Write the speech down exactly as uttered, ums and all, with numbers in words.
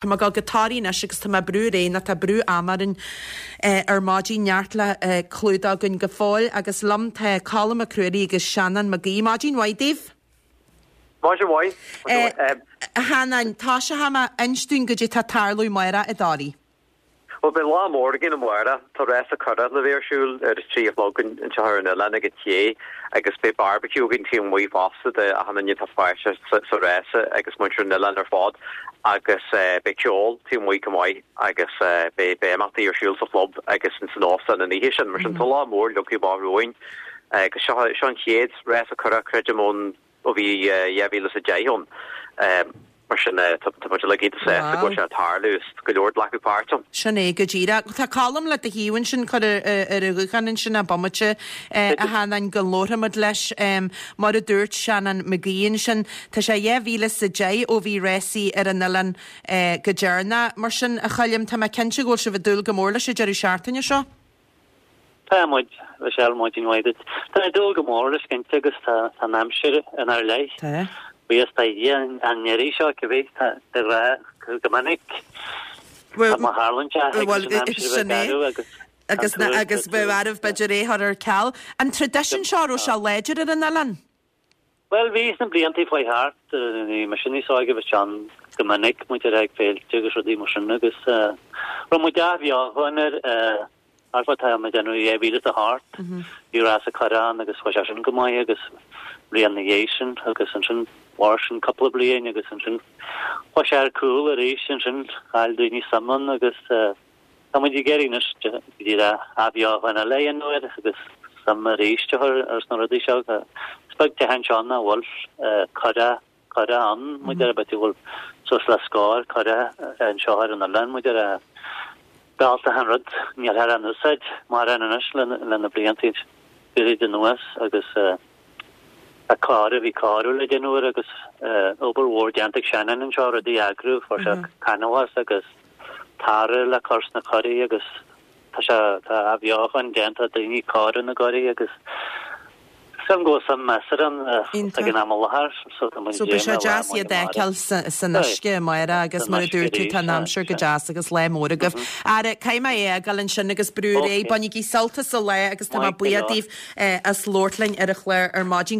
Tá mé ag dul go Toraigh anois agus tá mé ag brú ar aghaidh nó tá brú ama orainn ar maidin, neart le clúdach againn go fóill agus liom tá Colm Mac Ruairí agus Seanán Mac Aoidh. Maidin mhaith daoibh. Maidin mhaith. A Sheanáin, tosóidh mé, inis dúinn goidé tá ag tarlú amárach i dToraigh. Bhuel, beidh lá mór againn amárach. Tá rása curach le bheith ar siúl ar a trí a chlog anseo ar an oileán ag an ché agus beidh barbecue againn taobh amuigh fosta do achan duine atá páirteach sa rása agus muintir an oileáin ar fad agus beidh ceol taobh amuigh chomh maith agus beidh imeachtaí ar siúl sa chlub agus ins an óstán an oíche sin. Mar sin tá lá mór leagtha amach romhainn agus seo seo an chéad rása curach creidim ón ó bhí dhá mhíle is a deich ann. Mar sin, tá muid uilig iontach sásta go bhfuil sé ag tarlú is go leor ag glacadh páirt ann. Sin é go díreach. Tá Colm le do thaobh ansin, cuir ar an ghuthán ansin é bomaite, a Sheanáin, go labharfaimid leis. Mar a dúirt Seanán Mac Aoidh ansin, tá sé dhá mhíle is a deich ó bhí rásaí ar an oileán go deireanach. Mar sin, a Choilm, tá mé cinnte go bhfuil sibh ag dúil go mór leis an deireadh seachtaine seo. Tá muid, Michelle, maidin mhaith duit. Tá ag dúil go mór leis cinnte agus tá an aimsir inár leith. Tá. Buíochas do Dhia an iarraidh seo, cibé, tá de ghnáth go minic. Bhuel, Tá má tharlaíonn sé, thig leis an aimsir a bheith sin é. garbh agus Agus an tuar agus bheadh arbh b'fhéidir é chur ar ceal. An traidisiún seo, raibh sé láidir ar an oileán? Bhuel, bhí sna blianta faoi thart, bhí mise níos óige, bhí sé ann go minic, muid ar ag féilte agus rudaí mar sin agus raibh muid athbheochan air, Thart fá tá mé ag déanamh dhá mhíle is a hocht, bhí rása curach ann agus chuaigh sé sin go maith agus bliain ina dhiaidh sin agus ansin mhair sin cúpla bliain agus ansin chuaigh sé ar cúl arís ansin chaill daoine suim ann agus tá muid ag iarraidh anois go díreach athbheochan eile a dhéanamh air agus suim arís a chur ar sna rudaí seo. Is beag teach anseo nach bhfuil curach curach ann, muid ar bith, bhfuil suas le scór curach anseo ar an oileán, muid ar a B'altach an rud, nílthear á n-úsáid mórán anois le na blianta gairid anuas agus tá cóiriú, bhí cóiriú le déanamh air agus obair mhór déanta ag Seanán anseo, rudaí a eagrú, fuair sé canbhás agus tarra le cur sna curaí agus tá sé, tá athbheochan déanta, daoine ag cóiriú na gcuraí agus Sílim go bhfuil suim measartha ann ag an am i láthair so tá muid So ag beidh sé déanamh lá deas maith iad a amárach. fheiceáil san uisce amárach agus San mar a uisce dúirt tú arís, tá an aimsir go deas agus lá mór agaibh. Ara, caithfidh mé é a fhágáil ansin agus brú ar aghaidh. Ok. Bainigí sult as an lá agus tá mé Maith go buíoch leor. daoibh as labhairt linn ar an chlár ar maidin.